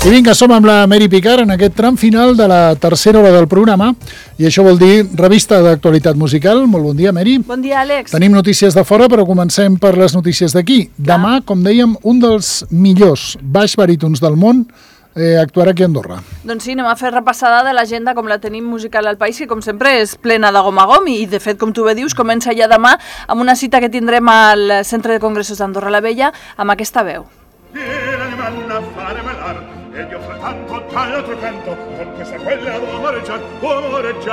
I vinga, som amb la Mary Picard en aquest tram final de la tercera hora del programa i això vol dir revista d'actualitat musical. Molt bon dia, Mary. Bon dia, Àlex. Tenim notícies de fora, però comencem per les notícies d'aquí. Demà, com dèiem, un dels millors baix barítons del món actuarà aquí a Andorra. Doncs sí, anem a fer repassada de l'agenda com la tenim musical al país, que com sempre és plena de gom a gom i de fet, com tu bé dius, comença ja demà amb una cita que tindrem al Centre de Congressos d'Andorra la Vella amb aquesta veu. E io frattanto dall'altro canto con questa quella uomoreggiar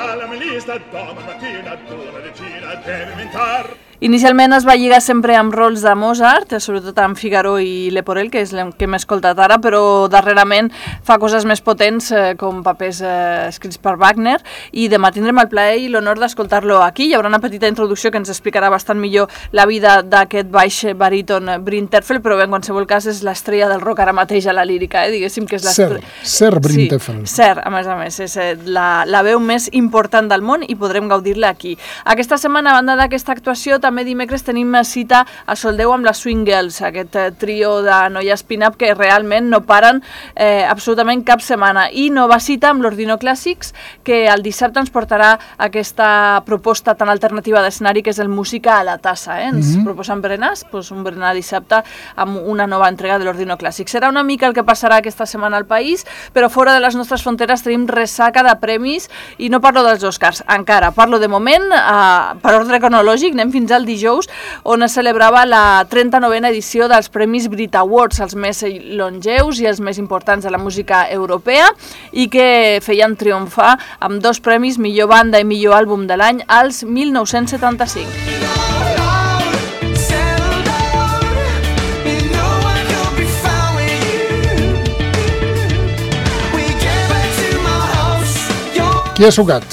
alla melista doma mattina d'una decina deve inventar. Inicialment es va lligar sempre amb rols de Mozart, sobretot amb Figaro i Leporel, que és el que hem escoltat ara, però darrerament fa coses més potents com papers escrits per Wagner, i demà tindrem el plaer i l'honor d'escoltar-lo aquí. Hi haurà una petita introducció que ens explicarà bastant millor la vida d'aquest baix baríton Brintefel, però bé, en qualsevol cas és l'estrella del rock ara mateix a la lírica, diguéssim que és l'estrella. Sir Brintefel. Sí, Sir, a més, és la veu més important del món i podrem gaudir-la aquí. Aquesta setmana, a banda d'aquesta actuació, també dimecres tenim cita a Soldeu amb les Swing Girls, aquest trio de noies pin-up que realment no paren absolutament cap setmana. I nova cita amb l'Ordino Clàssics, que el dissabte ens portarà aquesta proposta tan alternativa d'escenari que és el Música a la Tassa. Ens proposen berenars, doncs un berenar dissabte amb una nova entrega de l'Ordino Clàssics. Serà una mica el que passarà aquesta setmana al país, però fora de les nostres fronteres tenim ressaca de premis i no parlo dels Oscars, encara. Parlo de moment, per ordre cronològic, anem fins al dijous, on es celebrava la 39a edició dels Premis Brit Awards, els més longeus i els més importants de la música europea, i que feien triomfar amb 2 premis, millor banda i millor àlbum de l'any, als 1975. Qui ha sucat?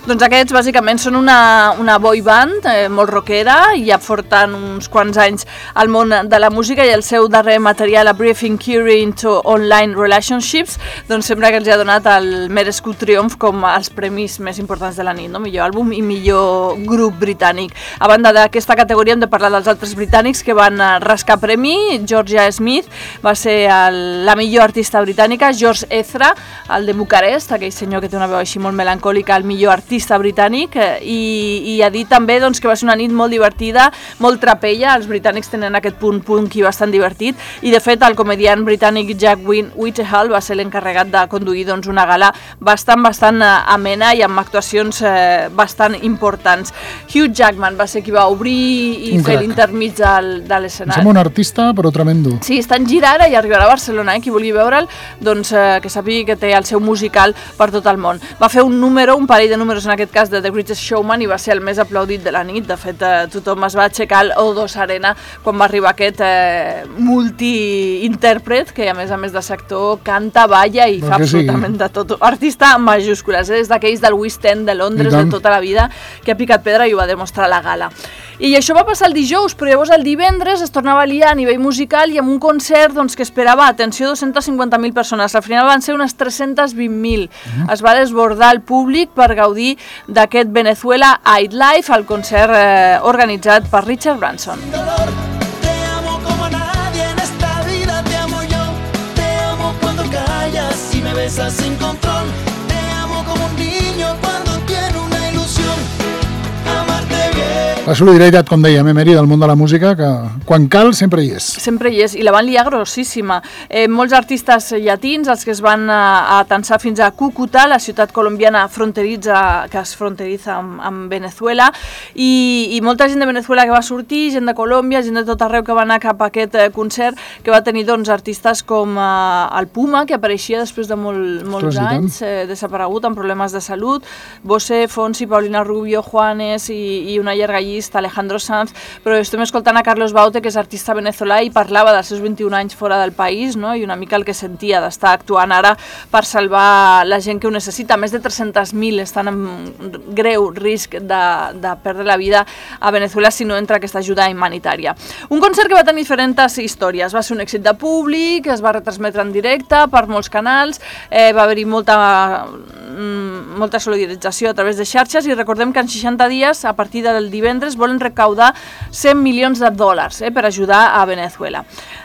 Doncs aquests bàsicament són una boy band molt rockera i ja porten uns quants anys al món de la música, i el seu darrer material, A Brief Inquiry into Online Relationships, doncs sembla que els ha donat el merescut triomf com els premis més importants de la nit, no? Millor àlbum i millor grup britànic. A banda d'aquesta categoria hem de parlar dels altres britànics que van rascar premi. Georgia Smith va ser la millor artista britànica, George Ezra, el de Bucarest, aquell senyor que té una veu així molt melancòlica, el millor artista britànic, i ha dit també doncs, que va ser una nit molt divertida, molt trapella. Els britànics tenen aquest punt punk i bastant divertit, i de fet el comediant britànic Jack Whitehall va ser l'encarregat de conduir doncs, una gala bastant amena i amb actuacions bastant importants. Hugh Jackman va ser qui va obrir i fer l'intermig de l'escenari. Som un artista però tremendo. Sí, està en gira ara i arribarà a Barcelona, qui vulgui veure'l, doncs que sàpiga que té el seu musical per tot el món. Va fer un parell de números en aquest cas de The Greatest Showman, i va ser el més aplaudit de la nit. De fet, tothom es va aixecar al O2 Arena quan va arribar aquest multi-intèrpret que, a més de ser actor, canta, balla i fa absolutament de tot. Artista en majúscules, és d'aquells del West End de Londres de tota la vida, que ha picat pedra i ho va demostrar a la gala. I això va passar el dijous, però llavors el divendres es tornava a liar a nivell musical i amb un concert que esperava, atenció, 250.000 persones. Al final van ser unes 320.000. Es va desbordar el públic per gaudir d'aquest Venezuela I'd Life, el concert organitzat per Richard Branson. Te amo como nadie en esta vida, te amo yo, te amo cuando callas y me besas sin control, te amo como un niño cuando tiene una ilusión, amarte bien. La solidaritat, com dèiem, Mary, del món de la música, que quan cal sempre hi és. Sempre hi és, i la van liar grossíssima. Molts artistes llatins, els que es van atansar fins a Cúcuta, la ciutat colombiana que es fronteriza amb Venezuela, i molta gent de Venezuela que va sortir, gent de Colòmbia, gent de tot arreu que va anar cap a aquest concert, que va tenir doncs, artistes com el Puma, que apareixia després de molts anys, desaparegut amb problemes de salut, Bosé, Fonsi, Paulina Rubio, Juanes i una llarga llista, Alejandro Sanz, però estem escoltant a Carlos Baute, que és artista venezolà i parlava dels seus 21 anys fora del país, no? I una mica el que sentia d'estar actuant ara per salvar la gent que ho necessita. Més de 300.000 estan en greu risc de perdre la vida a Venezuela si no entra aquesta ajuda humanitària. Un concert que va tenir diferents històries. Va ser un èxit de públic, es va retransmetre en directe per molts canals, va haver-hi molta solidarització a través de xarxes, i recordem que en 60 dies, a partir del divendres, altres volen recaudar $100 milions per ajudar a Venezuela.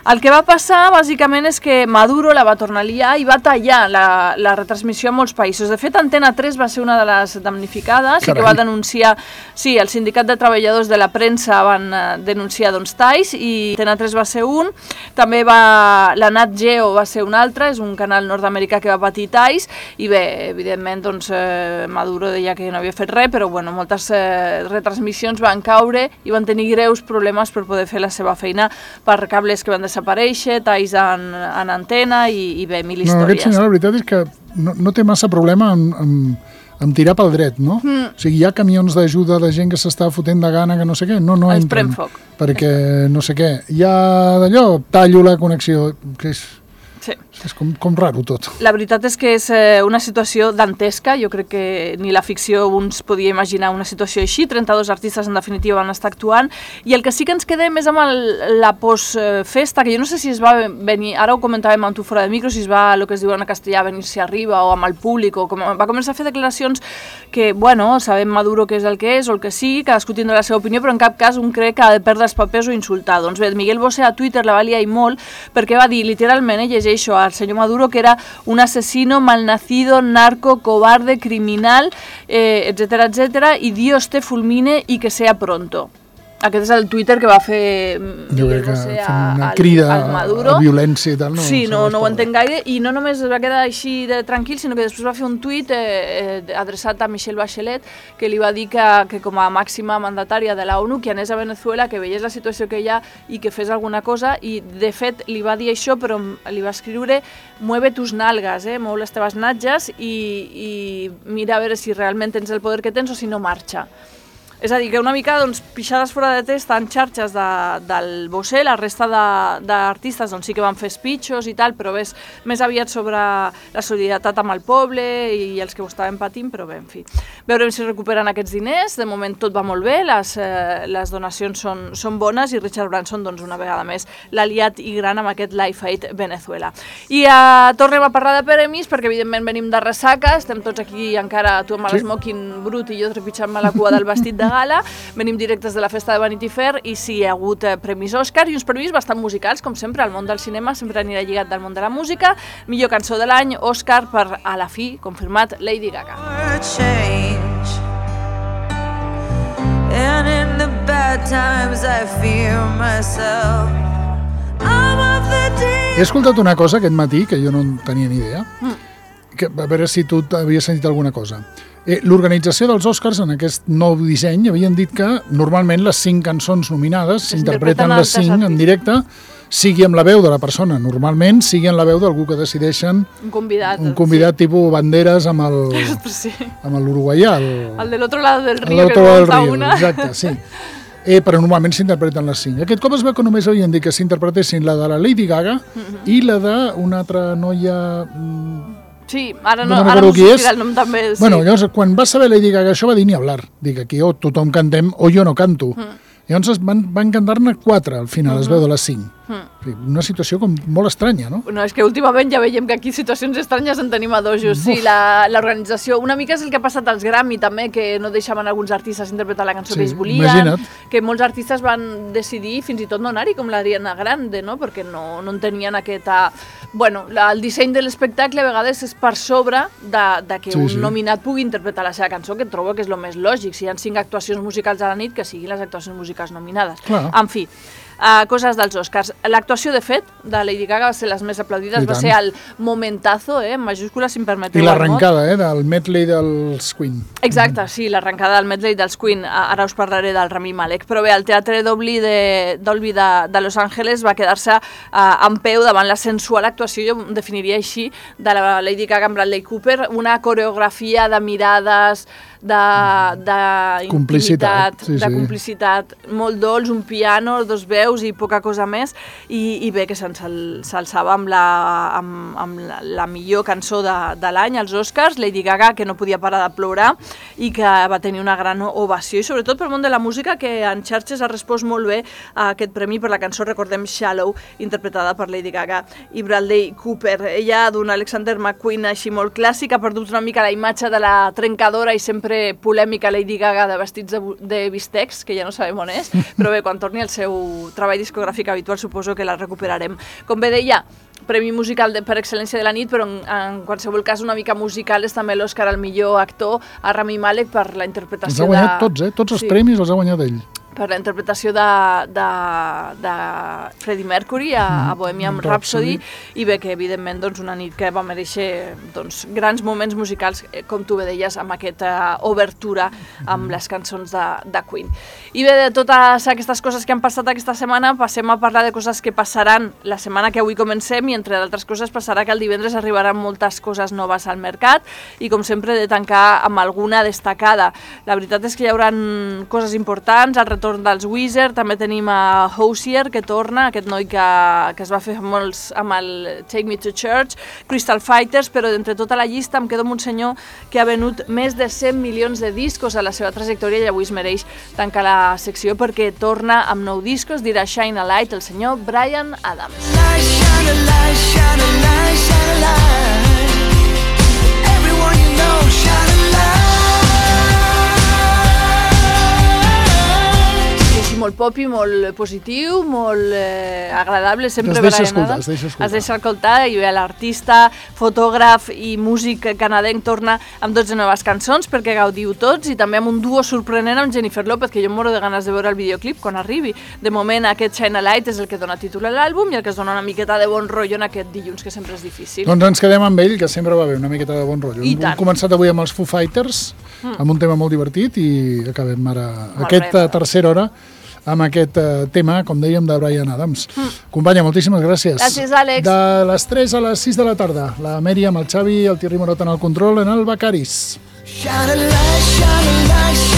El que va passar, bàsicament, és que Maduro la va tornar a liar i va tallar la retransmissió a molts països. De fet, Antena 3 va ser una de les damnificades i que va denunciar... Sí, el Sindicat de Treballadors de la Premsa van denunciar talls i Antena 3 va ser un. També la Nat Geo va ser un altre, és un canal nord-americà que va patir talls i bé, evidentment, doncs, Maduro deia que no havia fet res, però bueno, moltes retransmissions van caure i van tenir greus problemes per poder fer la seva feina per cables que van desaparèixer, talls en antena i bé, mil històries. No, aquest senyor, la veritat és que no té massa problema amb tirar pel dret, no? O sigui, hi ha camions d'ajuda de gent que s'està fotent de gana, que no sé què, no entren. Perquè no sé què. Hi ha d'allò, tallo la connexió, que és... Sí. És com raro tot. La veritat és que és una situació dantesca, jo crec que ni la ficció uns podia imaginar una situació així, 32 artistes en definitiva van estar actuant, i el que sí que ens quedem és amb la postfesta, que jo no sé si es va venir, ara ho comentàvem amb tu fora de micro, si es va, el que es diu en castellà, venir-se arriba o amb el públic, o va començar a fer declaracions que, bueno, sabem Maduro què és o el que sigui, cadascú tindrà la seva opinió, però en cap cas un crec que ha de perdre els papers o insultar. Doncs bé, Miguel Bosé a Twitter la va liar i molt, perquè va dir, literalment, llegeixo al senyor Maduro que era un asesino, malnacido, narco, cobarde, criminal, etcétera, etcétera, y Dios te fulmine y que sea pronto. Aquest és el Twitter que va fer Miguel Bosé una crida a violència i tal. No, sí, no ho entenc gaire, i no només es va quedar així de tranquil, sinó que després va fer un tuit adreçat a Michelle Bachelet, que li va dir que com a màxima mandatària de la ONU, que anés a Venezuela, que veiés la situació que hi ha i que fes alguna cosa, i de fet li va dir això, però li va escriure mueve tus nalgas, mou les teves natges i mira a veure si realment tens el poder que tens o si no marxa. És a dir, que una mica pixades fora de test en xarxes del Bosé, la resta d'artistes sí que van fer speeches i tal, però més aviat sobre la solidaritat amb el poble i els que ho estaven patint, però bé, en fi. Veurem si recuperen aquests diners, de moment tot va molt bé, les donacions són bones i Richard Branson, una vegada més, l'aliat i gran amb aquest Life Aid Venezuela. I tornem a parlar de premis, perquè evidentment venim de ressaca, estem tots aquí encara, tu amb l'esmoking brut i jo trepitjant-me la cua del vestit de gala, venim directes de la festa de Vanity Fair i sí, hi ha hagut premis Òscar i uns premis bastant musicals, com sempre, el món del cinema sempre anirà lligat del món de la música. Millor cançó de l'any, Òscar per, a la fi, confirmat, Lady Gaga. And in the bad times I fear myself. He escoltat una cosa aquest matí que jo no en tenia ni idea, a veure si tu havies sentit alguna cosa. L'organització dels Oscars en aquest nou disseny havien dit que normalment les 5 cançons nominades s'interpreten les 5 en directe, sigui amb la veu de la persona, normalment sigui amb la veu d'algú que decideixen un convidat tipus Banderas amb l'uruguaià, el de l'altre lado del río que monta una. Exacte, sí. Però normalment s'interpreten les 5. Aquest cop es veu que només havien dit que s'interpretessin la de la Lady Gaga i la d'una altra noia... Sí, ara no sortirà el nom també. Sí. Bueno, llavors, quan va saber Lady Gaga això va dir ni hablar. Dic, aquí o tothom cantem o jo no canto. Llavors van cantar-ne 4 al final, es veu de les 5. Una situació com molt estranya, no? No, és que últimament ja veiem que aquí situacions estranyes en tenim a dojos. Sí, l'organització, una mica és el que ha passat als Grammy també, que no deixaven alguns artistes interpretar la cançó que ells volien, imagina't. Que molts artistes van decidir fins i tot no anar-hi, com l'Ariana Grande, no? Perquè no en tenien aquesta... Bueno, el disseny de l'espectacle a vegades és per sobre de que un nominat pugui interpretar la seva cançó, que trobo que és el més lògic. Si hi ha 5 actuacions musicals a la nit, que siguin les actuacions musicals nominades. Clar. En fi, coses dels Oscars. L'actuació, de fet, de Lady Gaga va ser les més aplaudides, va ser el momentazo, en majúscules, si em permeteu. I l'arrencada, del medley dels Queen. Exacte, sí, l'arrencada del medley dels Queen. Ara us parlaré del Rami Malek. Però bé, el Teatre Dolby de Los Angeles va quedar-se en peu davant la sensual actuació, jo ho definiria així, de la Lady Gaga amb Bradley Cooper, una coreografia de mirades, d'intimitat, de complicitat, molt dolç, un piano, 2 veus i poca cosa més, i bé, que s'alçava amb la millor cançó de l'any, als Oscars, Lady Gaga, que no podia parar de plorar i que va tenir una gran ovació, i sobretot pel món de la música, que en xarxes ha respost molt bé a aquest premi per la cançó, recordem, Shallow, interpretada per Lady Gaga i Bradley Cooper. Ella, d'un Alexander McQueen així molt clàssic, ha perdut una mica la imatge de la trencadora i sempre sempre polèmica Lady Gaga de vestits de bistecs, que ja no sabem on és, però bé, quan torni el seu treball discogràfic habitual suposo que la recuperarem. Com bé deia, premi musical per excel·lència de la nit, però en qualsevol cas una mica musical és també l'Oscar al millor actor a Rami Malek per la interpretació Els ha guanyat tots, tots els premis els ha guanyat ell. Per la interpretació de Freddie Mercury a Bohemian Rhapsody, i bé, que evidentment una nit que va mereixer grans moments musicals, com tu bé deies, amb aquesta obertura amb les cançons de Queen. I bé, de totes aquestes coses que han passat aquesta setmana, passem a parlar de coses que passaran la setmana que avui comencem, i entre d'altres coses passarà que el divendres arribaran moltes coses noves al mercat, i com sempre he de tancar amb alguna destacada. La veritat és que hi haurà coses importants, el retorn dels Weezer, també tenim a Hozier, que torna, aquest noi que es va fer molts amb el Take Me to Church, Crystal Fighters, però d'entre tota la llista em quedo amb un senyor que ha venut més de 100 milions de discos a la seva trajectòria, i avui es mereix tancar la secció perquè torna amb nou discos, dirà Shine a Light, el senyor Bryan Adams. Shine a light, shine a light, shine a light. Everyone you know, shine a light. Molt pop i molt positiu, molt agradable, sempre Bryan Adams. Es deixa escoltar, i bé, l'artista, fotògraf i músic canadenc torna amb 12 noves cançons perquè gaudiu tots, i també amb un duo sorprenent amb Jennifer López, que jo em moro de ganes de veure el videoclip quan arribi. De moment aquest Shine a Light és el que dona títol a l'àlbum i el que es dona una miqueta de bon rotllo en aquest dilluns, que sempre és difícil. Doncs ens quedem amb ell, que sempre va bé una miqueta de bon rotllo. Hem començat avui amb els Foo Fighters, amb un tema molt divertit, i acabem ara aquesta tercera hora amb aquest tema, com dèiem, de Bryan Adams. Companya, moltíssimes gràcies. Gràcies, Àlex. De les 3 a les 6 de la tarda, la Mèriam, el Xavi, el Thierry Morot en el control, en el Becaris. Shine a light, shine a light.